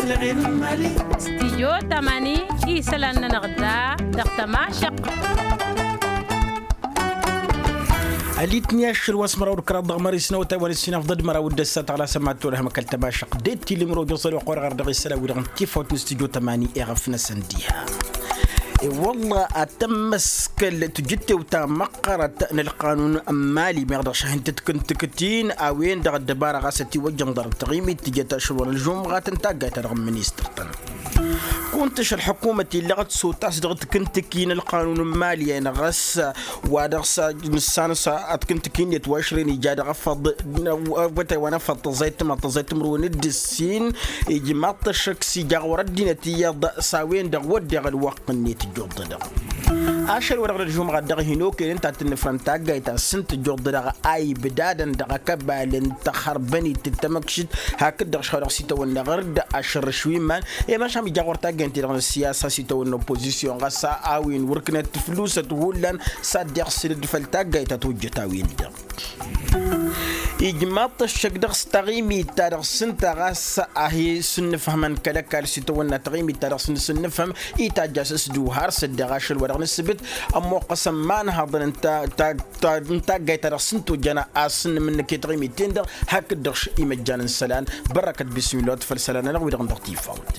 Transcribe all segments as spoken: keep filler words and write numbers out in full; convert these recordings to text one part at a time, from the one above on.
Stijyo tamani isălan-nănăɣ da dăɣ-tămašăq. Ălitni ašăl wa s-măraw d-kăraḍ dăɣ-mări s-năwătay wa n-ăssinaf ḍăd măraw d-ăssat ɣăla sămad tolăhăm kăl-tămašăq d-tilǝm rojăẓ ălwăqq wa dăɣ-dăɣ isălan wi-dăɣ n-tifawt n-stijyo tamani iɣăf-năsăn diha. I-wălla ad-tămmăskăl tǝjǝttewt ta măqqărăt n-ălqanun n-mali meɣ dăɣ-šahin tǝtkǝntǝktin a-wen-dăɣ ăddăbara ɣas ătiwăjjăn ḍarăt taɣimit tǝjăt ašăl wa n-ălžumɣat n-taggayt-ta-dăɣ n-ministăr-tăn. Kuntǝš ălḥukumăt illăɣăt s-otas dăɣ-tǝkǝntǝki n-ălqanun n-mali-en ɣas wa dăɣ-s nǝssan s-ad-tǝkǝntǝki-net wa ašren ija dăɣ-afăḍ wătay wa n-afăḍ tăẓẓayt tǝmăḍ tăẓẓayt tǝmrǝwen d-ǝssin. Ijmaḍ-t ăššăk s-ija ɣur-ăddinăt iyyăḍ s-a-wen-dăɣ wădden ălwăqq-net ǝjjuḍ-dăɣ. Ašăl wa dăɣ-nălžumɣat dăɣ-hin-okăyăn ta tǝnnǝfrăn taggayt ta s-ǝnta ǝjjuḍ-dăɣ a ibdadăn dăɣ-akăbal n-taxărbănit d-tamăkšit hakd-dăɣ šăɣ-dăɣ s-itawănna ɣăr-dd ašărrǝš wi iman. I-măšan ija ɣur-taggayt-ti-dăɣ n-ăssiyasa s-itawănna oppozisyon ɣas a-wen wăr-ǝknăt tǝflusăt hullan s-ad-dd-iɣsǝlăd făll-taggayt ta tojjăt a-wen-dăɣ. Ijmaḍ-t ăššăk dăɣ-s taɣimit ta dăɣ-s ǝnta ɣas a hi-sǝnnǝfhămăn kăl-ăkall s-itawănna taɣimit ta dăɣ-s nǝsǝnnǝfhăm itajj a-s s-dd-uharăsăt daɣ ašăl wa dăɣ-nǝssǝbǝt ămmoqqăsăn ma ănhăḍăn n-taggayt ta dăɣ-s ǝnta ojjăn a-s n-imǝnnǝk i-taɣimit-ten-dăɣ. Hakd-dăɣ imăjjan n-isălan bărrăkăt bismillah wa t-făll-isălan-nănăɣ wi-dăɣ n-dăɣ-tifawt.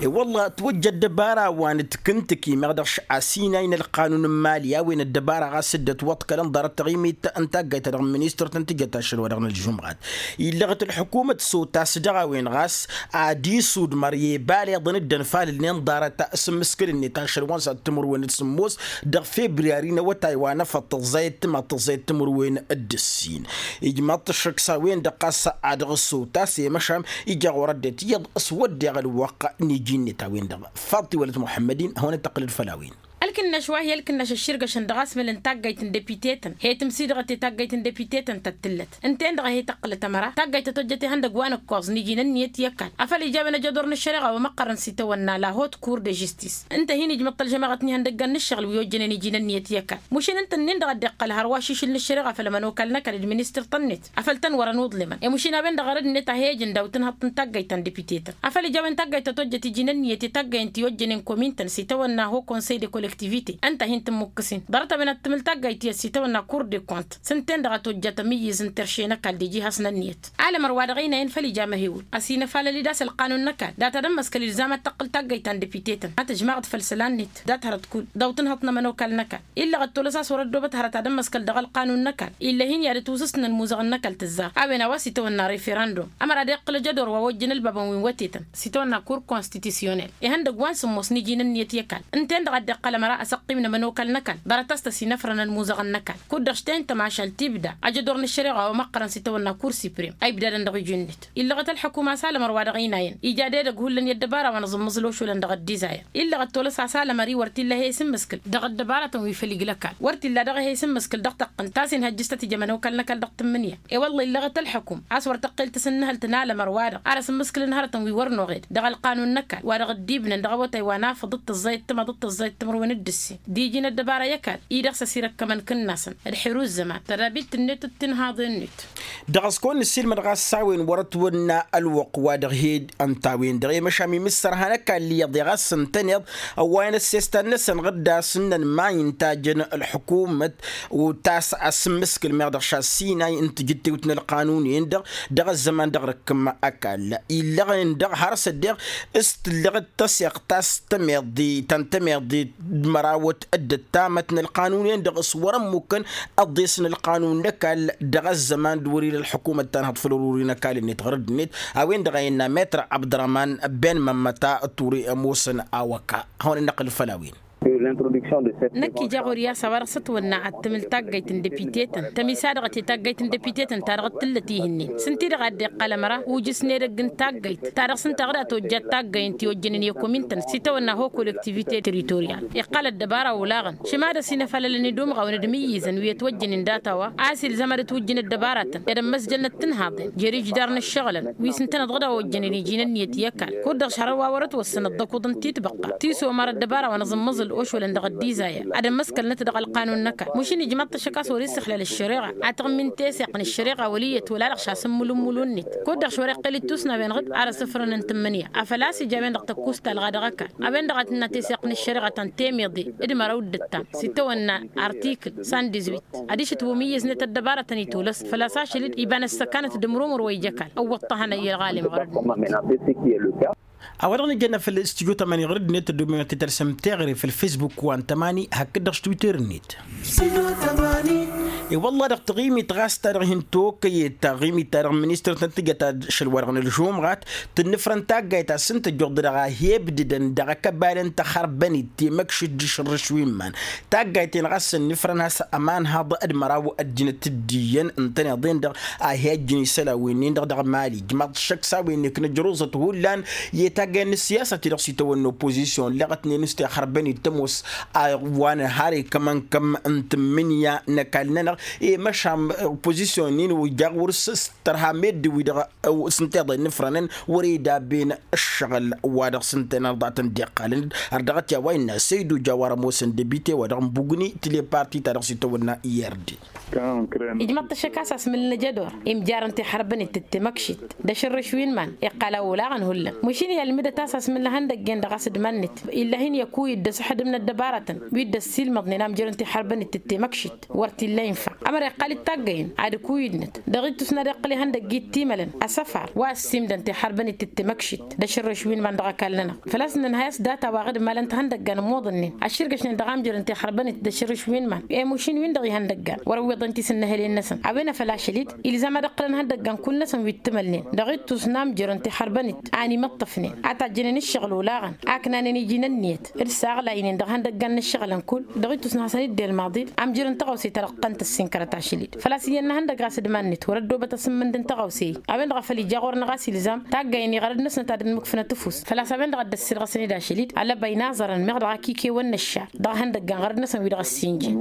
I-wălla ătwăjja ăddăbara wa n-tǝkǝntǝki meɣ dăɣ-s asinay n-ălqanun n-mali a-wen ăddăbara ɣas dd-ătwăḍkălăn ḍarăt taɣimit n-taggayt-ta-dăɣ n-ministăr-tăn tǝjăt ašăl wa dăɣ-nălžumɣat. Illăɣăt ălḥukumăt s-otas dăɣ-a-wen ɣas ad-isudmăr i-baleḍăn dd-ănfalălnen ḍarăt s-ǝmmǝskǝl-net ašăl wa n-săḍ timǝrwen d-sǝmmos dăɣ-febriyari n-awătay wa n-afăḍ tăẓẓayăt tǝmăḍ tăẓẓayăt timǝrwen d-ǝssin. Ijmaḍ-t ăššăk s-a-wen-dăɣ ɣas ad-dăɣ-s otas i-măšan ija ɣur-ăddinăt iyyăḍ s-wădden ălwăqq n-iji-net a-wen-dăɣ. Faḍt-i wălăt muḥămmăd-in hawăn-dd-tăqqǝlăd făll-a-wen. Ălkǝnnaš wa hi-ălkǝnnaš ăšširgăšăn dăɣ-asmǝl n-taggayt n-depite-tăn he-tǝmsidăɣăt i-taggayt n-depite-tăn ta t-tǝllăt ǝnta-en-dăɣ a hi-tăqqǝlăt ămăra taggayt ta tojjăt ihăndăg wa n-ǝkkoẓ n-iji n-ǝnniyăt i-ăkall afăl ija a-wen ajădor n-ăššăreɣa wa măqqărăn s-itawănna la hot kur de žistis. Ǝnta a hin-ijmăḍ-t ălžămaɣăt n-ihăndăggan n-ǝššăɣǝl wi ojjănen iji n-ǝnniyăt i-ăkall mušin ǝnta-nin-dăɣ a dd-iqqăl hărwa ašišǝl n-ǝššăreɣa făll-ămănokal n-ăkall d-ministăr-tăn-net afăl tăn-wărăn uḍlemăn i-mušin a-wen-dăɣ arăd-net a he-ǝjǝn daw-tǝnhăḍt n-taggayt ta n-depite-tăn afăl ija a-wen taggayt ta tojjăt iji n-ǝnniyăt i-taggayăn ti ojjănen komin-tăn s-itawănna ho konsey de kollektivite. Ǝnta a hin-tǝmmukǝsin ḍarăt a-wen ad-tǝmǝl taggayt tiyyăt s-itawănna kur de kont s-ǝnta-en-dăɣ a tojjăt amǝyyǝz n-terše n-ăkall d-iji has-nănniyăt. Alămăr wa dăɣ-ăynayăn făll-ija măhewǝl ăsinăfalăl-dd a-s ălqanun n-ăkall data d-ămmăskăl ilzam ad-tăqqǝl taggayt ta n-depite-tăn ad-tǝžmaɣăt făll-isălan-net dat-hărăt kull daw-tǝnhăḍt n-ămănokal n-ăkall. Illăɣ ăttolăs a-s wăr-ăddoobăt hărăt ad-ămmăskăl dăɣ-ălqanun n-ăkall ill'-e hin-i ad-ătwǝsǝsnăn imuzăɣăn n-ăkall tǝzzar a-wen a-wa s-itawănna referandum. Ămăra ad-iqqǝl ajădor wa ojjăn ălbabăn wi n-wătetăn s-itawănna kur konstitisyonel ihăndăgg wa n-sǝmmos n-iji n-ǝnniyăt i-ăkall. Ǝnta-en-dăɣ a dd-iqqăl ămăra asăqqim n-ămănokal n-ăkall ḍarăt a-s tăsinăfrănăn imuzăɣăn n-ăkall kud-dăɣ š-ten tămašal tibda ajădor n-ăššăreɣa wa măqqărăn s-itawănna kur siprem a ibdadăn dăɣ-iji-net. Illăɣăt ălḥăkum a-s alămăr wa dăɣ-inayăn ija d-edăgg hullan i-ăddăbara wa n-aẓǝmmǝẓǝl ošulăn dăɣ-ăddizayăn. Illăɣ ăttolăs a-s alămăr-i wăr t-illa he-isǝmmǝskǝl dăɣ-ăddăbaratăn wi făll-igl'-ăkall wăr t-illa dăɣ-he-isǝmmǝskǝl dăɣ-tăqqǝnt ta s-inhăjjǝs tăt-ija ămănokal n-ăkall dăɣ-tǝmmǝnǝya. I-wălla illăɣăt ălḥăkum a-s wăr tăqqel tasǝnnǝhălt n-alămăr-wa-dăɣ ar ăsǝmmǝskǝlăn hărătăn wi wăr noɣed dăɣ-ălqanun n-ăkall wa dăɣ-ăddibnăn dăɣ-awătay wa n-afăḍ d-tăẓẓayăt tǝmăḍ d-tăẓẓayăt timǝrwen d-ǝssin d-iji n-ăddăbara i-ăkall-i-dăɣ s-ăsirăkkămăn kǝnnasăn d-xiru ǝzzăman tărabilt-net d-tinhaḍen-net. Dăɣ-s kăwăn-nǝssilmăd ɣas s-a-wen wăr-ătwănna ălwăqq wa dăɣ-hi-dd ǝnta a-wen-dăɣ i-măšan mi mǝssărhan ăkall iyyăḍ i-ɣas ǝntăneḍ ăwwayăn ăssestan-năsăn ɣǝddas ǝnnăn ma intajăn ălḥukumăt. Utas asǝmmǝskǝl meɣ dăɣ-šassinay n-tijǝttewt n-ălqanun-en-dăɣ dăɣ-ăzzăman dăɣ-răkkăm ăkall illăɣen-dăɣ har s-ăddeɣ s-tǝllăɣ d-tăseɣt ta s-tămeḍi ta n-tămeḍi d-mărawăt dd-ăttamăt n-ălqanun-en-dăɣ s-wăr-ămmukkăn ăḍḍes n-ălqanun n-ăkall dăɣ-ăzzăman d-wăr-ila ălḥukumăt ta n-hăḍfăl ăruri n-ăkall-net ɣărăd-net. A-wen-dăɣ a innă metr abdărăman ben mămmăta ture ămoosăn awăka hawăn-in-năqqǝl făll-a-wen. Năkk ija ɣur-i a-s a-wa dăɣ-s ătwănna ad-tǝmǝl taggayt n-depite-tăn tămisadăɣăt i-taggayt n-depite-tăn ta dăɣ-t tǝllăt ihǝnnen s-ǝnta-i-dăɣ a dd-iqqăl ămăra ujǝs n-edăgg n-taggayt ta dăɣ-s ǝnta ɣǝd a tojjat taggay n-ti ojjănen i-komin-tăn s-itawănna ho kollektivite teritoryal. Iqqăl ăddăbara olaɣăn šăma d-ăsinăfalălăn idumɣawăn d-imǝyyǝzăn wi ătwăjjănen data-wa a-s ilzam ad-ǝtwǝjjǝn ăddăbaratăn i-ad-ămmăsjălnăt tinhaḍen jer-ijdar n-ǝššăɣǝlăn wi s-ǝntăneḍ ɣǝd a ojjănen iji n-ǝnniyăt i-ăkall kud-dăɣ šăr a-wa wăr-ătwăssăn ăḍḍăkuḍ n-titbăqqa tisomar ăddăbara wa n-aẓǝmmăẓǝl. Šolăn dăɣ-ăddizaya ad-ămmăskălnăt dăɣ-ălqanun n-ăkall mašin ijmaḍ-t ašăk a-s wăr-issăxlal ăššăreɣa ad-tăɣmint esăɣ n-ăššăreɣa wăl' iyyăt wăla-dăɣ šasǝmmǝlǝmmǝlu-net. Kud-dăɣ šwăr-iqqel ittus n-a-wen-dăɣ arăsǝfrăn n-tǝmmǝnǝya a făl-a-s ija a-wen-dăɣ tăkkus talɣa dăɣ-ăkall a-wen-dăɣ a tǝnna teseɣt n-ăššăreɣa ta n-temǝḍe d-măraw d-ǝttam s-itawănna artikǝl săn dizwit. Ad-išǝtwǝm iyyăznet ăddăbarătăn itulăs făl-a-s ašăl-dd iba n-ăssăkanăt d-imrumǝr wa ija ăkall ǝwwăḍ-t a hanăyy ălɣalem ɣur-ăddinăt. A-wa-dăɣ nǝjănna făll-studyo tămani ɣur-ăddinăt ăddumenăt i-tărsăm teɣăre făll-facebook wa n-tămani hakd-dăɣ s-twitter-net. I-wălla-dăɣ taɣimit ɣas ta dăɣ-hin-tokăyet taɣimit ta dăɣ-ministăr tăn-tǝjăt ašăl-wa-dăɣ n-ălžumɣat tǝnnǝfrăn taggayt a-s ǝnta ăjjuḍ-dăɣ a hi-ǝbdǝdăn dăɣ-akăbalen tăxărbănit temăkšit d-išǝrrǝš wi n-iman. Taggayt-en ɣas ǝnnǝfrăn has-ămanhăḍ d-măraw ăddinăt d-iyyăn ǝntăneḍ-en-dăɣ a hi-ăjjǝn isălan wi-nin-dăɣ dăɣ-mali ǝjmaḍ-t šăkk s-a-wen-nek n-ăjruẓăt hullan i-taggay n-ǝssiyasăt-i-dăɣ s-itawănno opozisyon ǝlleɣătnen s-tixărbănit tămoos a wa n-har ikămăn-kăm n-tǝmmǝnǝya n-ăkall-nănăɣ. I-măšan opozisyon-in ija ɣur-s s-tărha meddǝn-wi-dăɣ s-ǝnta iḍa innǝfrănăn wăr-e dabben ǝššăɣǝl wa dăɣ-s ǝnta inănăḍ a tăn-dd-iqqalăn. Ărdăɣăt i-a-wa innă săydu jawar ămoosăn debite wa dăɣ-n bugni tǝle parti ta dăɣ-s itawănna irdi. Ijmăḍ-t ăššăk a-s asmǝl n-ajădor imjarăn tixărbănit d-temăkšit d-ašărrǝš wi n-iman iqqal a olaɣăn hullan mašin i-ălmǝdăt a-s asmǝl n-ihăndăggen dăɣ-asǝdman-net. Ill'-ahin i-ăkuyǝd d-asǝxdǝm n-ăddăbarătăn wi dd-ăssiilmăḍnen amjărăn tixărbănit d-temăkšit wăr t-illa infa. Ămăra iqqal-dd taggăyăn ad-ǝkuyǝdnăt dăɣ-ittus n-ad-iqqǝl ihăndăgg i-dd-timălăn asăfar wa ăssiimdăn tixărbănit d-temăkšit d-ašărrǝš wi n-iman dăɣ-ăkall-nănăɣ. Făl-a-s nǝnhăy a-s data wa ɣǝd malăn tihăndăggan ămmoḍănnen ăšširgăšnen dăɣ-amjărăn tixărbănit d-ašărrǝš wi n-iman i-mušin-win-dăɣ ihăndăggan wăr-ăwwiḍăn tisǝnnăhălen-năsăn a-wen a făl ašăl-dd ilzam ad-ǝqqǝlăn ihăndăggan kull-năsăn wi t-tǝmălnen dăɣ-ittus n-amjărăn tixărbănit a n-imǝṭṭǝfnen a tajjănen ǝššăɣǝl olaɣăn aknanen iji n-ǝnniyăt d-saɣlaynen dăɣ-ihăndăggan n-ǝššăɣǝlăn kull dăɣ-ittus n-hasăn-dd-elmaḍ-dd amjărăn tăɣawse ta dăɣ-tăn-tăssinkărăt ašăl-dd. Făl-a-s iyyăn n-ihăndăgg ɣas d-iman-net wăr-ăddoobăt asǝmmǝnd n-tăɣawse-i a-wen-dăɣ a făl ija ɣur-năɣ a-s ilzam taggayăn i-iɣărăd-năsnăt ad-ănmǝkfǝnăt ǝfus făl-a-s a-wen-dăɣ a dd-ăssirɣăsăn-dd ašăl-dd alăbăy n-aẓărăn meɣ dăɣ-akikewăn n-ăššar dăɣ-ihăndăggan ɣărăd-năsăn wi-dăɣ ăssinjăn.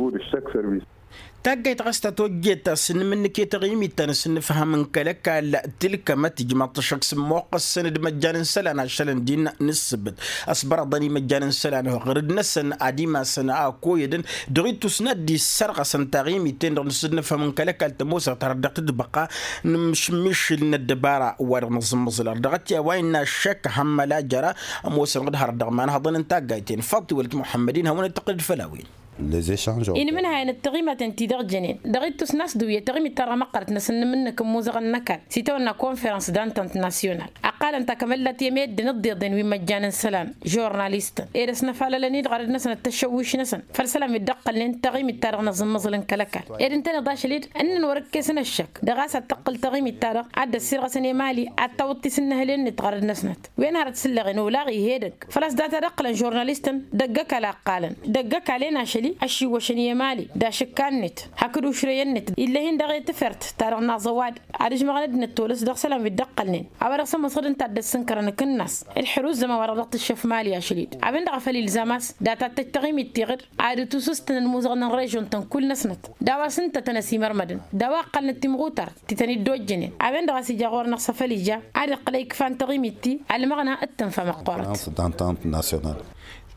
Taggayt ɣas ta tojjet ta s-nǝmǝnnǝk i-taɣimit ta n-asǝnnǝfham n-kăl-ăkall tǝlkămăt ijmaḍ-t ăššăk s-ǝmmoqqăssăn d-imăjjan n-isălan ašălăn din n-ǝssǝbǝt ăsbărăḍăn imăjjan n-isălan ɣărăd-năsăn ad-imasăn a ăkoyădăn dăɣ-ittus n-ad-dd-issărɣăsăn taɣimit-ten-dăɣ n-asǝnnǝfham n-kăl-ăkall tămoosăɣ ta dăɣ-tǝtbăqqa n-imǝšmǝšǝl n-ăddăbara wa dăɣ-nǝẓǝmmăẓǝl ărdăɣăt i-a-wa innă ăššăk hămmăl a jăra ămoosăn d-hărăt dăɣ-imanhăḍăn n-taggayt-en faḍt iwăl d-muḥămmăd-in hăwăn-dd-tăqqǝl d-făll-a-wen. Inmǝnhayăn d-taɣimaten-ti-dăɣ jănen dăɣ-ittus n-a-s d-uyyăt taɣimit-ta-dăɣ măqqărăt n-asǝnnǝmǝnnǝk n-imuzăɣăn n-ăkall s-itawănna konferăns d-antănt nasyonal. Ăqqalăn-t akămăllat i-meddǝn ǝḍḍeḍen wi n-imăjjan n-isălan žurnalistăn ed ăsnăfalălăn-i-dăɣ ɣărăd-năsăn d-tăššăwwiš-năsăn făll-isălan wi dd-ăqqălnen taɣimit-ta-dăɣ n-aẓǝmmăẓǝl n-kăl-ăkall ed ǝntăneḍ ašăl-dd ǝnnăn wăr-ǝkkesăn ăššăk dăɣ-a-s ad-tăqqǝl taɣimit-ta-dăɣ ad-dd-ăssirɣăsăn i-mali ad-tawǝḍ tisǝnnăhălen-net ɣărăd-năsnăt. Wen hărăt s-ǝlleɣen olaɣ ih'-edăgg făl-a-s data d-ăqqǝlăn žurnalistăn dăgg-ăkall a ǝqqalăn dăgg-ăkall-en ašăl-i ăššiwwăšăn i-mali d-ašǝkka-net hakd ušrăyăn-net ill'-ahin daɣ i-tafert ta dăɣ-naẓ ăwadǝm ad-ǝžmăɣăn ăddinăt tolăs dăɣ-isălan wi dd-ăqqălnen. A-wa dăɣ-s ămoosăɣ d-ǝnta a dd-ăssǝnkărăn akǝnnas d-iḥrǝw ǝzzăman wa dăɣ-dăɣ-tǝššăf mali ašăl-dd a-wen-dăɣ a făl ilzam a-s data d-tăj taɣimit tiɣǝd ad-dd-tusǝstăn ălmuzăɣăn n-režon-tăn kull-năsnăt d-a-wa s-ǝnta tăn-ăsimărmădăn d-a-wa ǝqqălnăt timɣutart ti tăn-dd-ojjănen. A-wen-dăɣ a-s ija ɣur-năɣ s-afăl ija ad-iqqǝl a ikfa n-taɣimit-ti ălmăɣna d-tǝnfa măqqoorăt.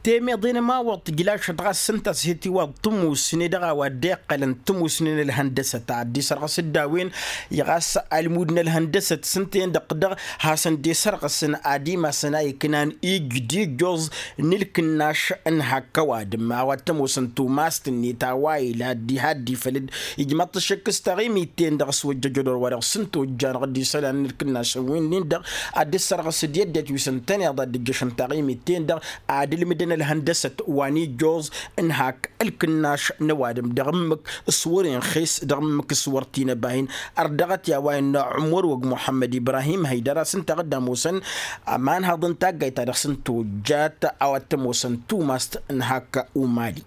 Temeḍe n-ămawăḍ tǝjlašăt ɣas s-ǝnta a-s he-tiwaḍ tǝmusne dăɣ-a-wa dd-iqqălăn tǝmusne n-ălhăndăsăt ad-dd-isărɣăs d-a-wen. Iɣas almud n-ălhăndăsăt s-ǝnta-en-dăɣ dăɣ-hasăn-dd-isărɣăsăn ad-imasăn a iknan ijj d-ijjoẓ n-ǝlkǝnnaš n-hak ăwadǝm a-wa t-ămoosăn tumast-net a-wa ila dd-iha dd-ifăl-dd. Ijmăḍ-t ăššăk s-taɣimit-ten-dăɣ s-wăjjăjăd wăr-wa-dăɣ s-ǝnta ojjanăɣ dd-isălan n-ǝlkǝnnašăn wi-nin-dăɣ ad-dd-sărɣăs d-i-ăddinăt wi s-ǝntăneḍ ad-dd-ǝjjăšăn taɣimit-ten-dăɣ ad-ǝlmǝdăn ălhăndăsăt wa n-ijjoẓ n-hak ǝlkǝnnaš n-ăwadǝm dăɣ-ǝmmǝk s-wăr-inxes dăɣ-ǝmmǝk s-wăr t-inăba-in. Ărdăɣăt i-a-wa innă ămăr wăgg muḥămmăd ibrahim hăydăr a-s ǝnta a dd-ămoosăn ămanhăḍ n-taggayt ta dăɣ-s ǝnta ojjat a-wa t-ămoosăn tumast n-hak umali.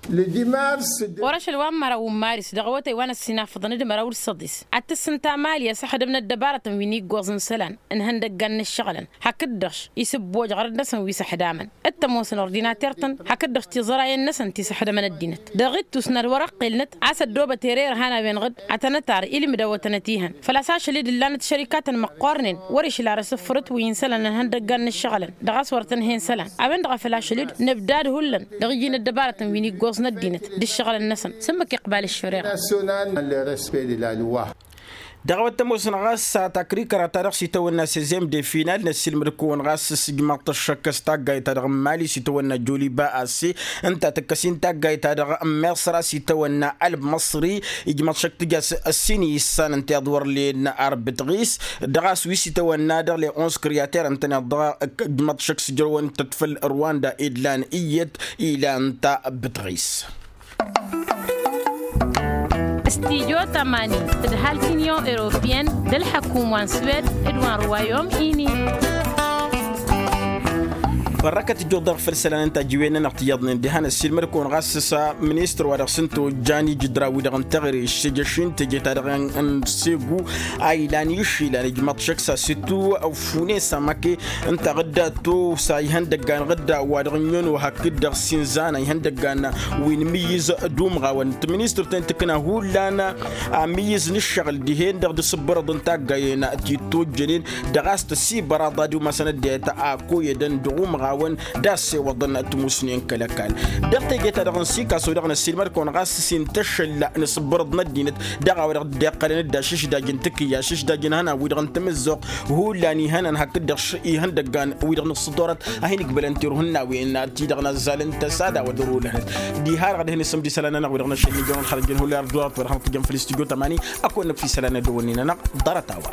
Wăr-ašăl wa n-măraw n-maris dăɣ-awătay wa n-ăssinafăḍăn d-măraw d-săḍis ad-tǝssǝnta mali asăxdăm n-ăddăbarătăn wi n-iggoẓ n-isălan n-ihăndăggan n-ǝššăɣǝlăn hakd-dăɣ-š isǝbboj ɣărăt-năsăn wi s-ăxdamăn d-tămoos n-ordinater-tăn hakd-dăɣ-š tiẓărayen-năsăn ti s-ăxdămăn ăddinăt. Dăɣ-ittus n-ad-wăr-ăqqelnăt a-s ăddoobăt ere irhan a-wen ɣǝd ad-tăn-ătar ilmǝdăwătăn ătihăn făl-a-s ašăl-dd ǝllanăt šărikatăn măqqoornen wăr-išla ar asǝffărăt wi n-isălan n-ihăndăggan n-ǝššăɣǝlăn dăɣ-a-s wăr tăn-hen isălan. A-wen-dăɣ a făl ašăl-dd nǝbdad hullan dăɣ-iji n-ăddăbarătăn wi n-iggoẓ n-ăddinăt d-ǝššăɣǝlăn-năsăn s-ǝmmǝk iqbal ǝššăreɣa. Dăɣ-a-wa t-ămoosăn ɣas takrikăra-ta-dăɣ s-itawănna sezem de final năssilmăd-kăwăn ɣas s-ijmaḍ-t ăššăk s-taggayt-ta-dăɣ n-mali s-itawănna joliba ase ǝnta tǝkkăs-in taggayt-ta-dăɣ n-miṣra s-itawănna ălb măṣri. Ijmaḍ-t šăk tǝja s-ǝssin issan ǝnta iḍ wăr len arbǝtɣis dăɣ-a-s wi s-itawănna dăɣ-le-ons kriyater ǝntăneḍ dăɣ-ijmaḍ-t šăk s-ǝjrăwăn-tăt făll-rwanda idlan iyyăt ilan ta bǝtɣis. Studyo tămani d-ăhalk union europeyăn d-ălḥăkum wa n-swed d-wa n-rwayom ini. Bărrăkăt ǝjjuḍ-dăɣ făll-isălan n-tajǝwen-nănăɣ tiyyăḍnen diha năssiilmăd-kăwăn ɣas s-ministăr wa dăɣ-s n-tojjan ijǝdra-wi-dăɣ n-teɣre s-ejăš-in teje-ta-dăɣ n-segu a ilan išilan ijmăḍ šăkk s-asǝttu. Fune s-amake ǝnta ɣǝdda tosa ihăndăggan ɣǝdda wa dăɣ-ǝnyon wa hakd-dăɣ s-inzana ihăndăggan wi n-imǝyyǝz d-umɣawăn. Tministăr-ten tǝkna hullan amǝyyǝz n-ǝššăɣǝl dihen-dăɣ d-asǝbbărăḍ n-taggayen ti tojjănen dăɣ-a-s tăsibăraḍ ad-umasăn ăddinăt a koyădăn dăɣ-umɣawăn d-assewăḍăn tmusnen kăl-ăkall. Dăɣ-teje-ta-dăɣ n-sikaso-dăɣ năssiilmăd-kăwăn ɣas s-intăššăl n-asǝbbărăḍ n-ăddinăt dăɣ-a-wa dăɣ-dd-iqqălăn d-ašǝšdaj n-tikǝyya ašǝšdaj n-ihănan-wi-dăɣ n-tamǝzzuɣt hullan ihănan hakd-dăɣ ihăndăggan-wi-dăɣ n-ǝssǝḍorăt a hin-ǝkbălăn tirǝhǝnnawen ti-dăɣ n-azzalăn tăsa d-a-wa dăr-olănăt. Diha-dăɣ ad-hin-isǝm d-isălan-nănăɣ wi-dăɣ n-ašăl n-ijăwăn xărăjăn hullan ărdurăt wa dăɣ-hămtăjăn făll-istudyo tămani. Ăkk wănnăk fi isălan n-ad-dd-ăwwănnen-anăɣ ḍarăt-a-wa.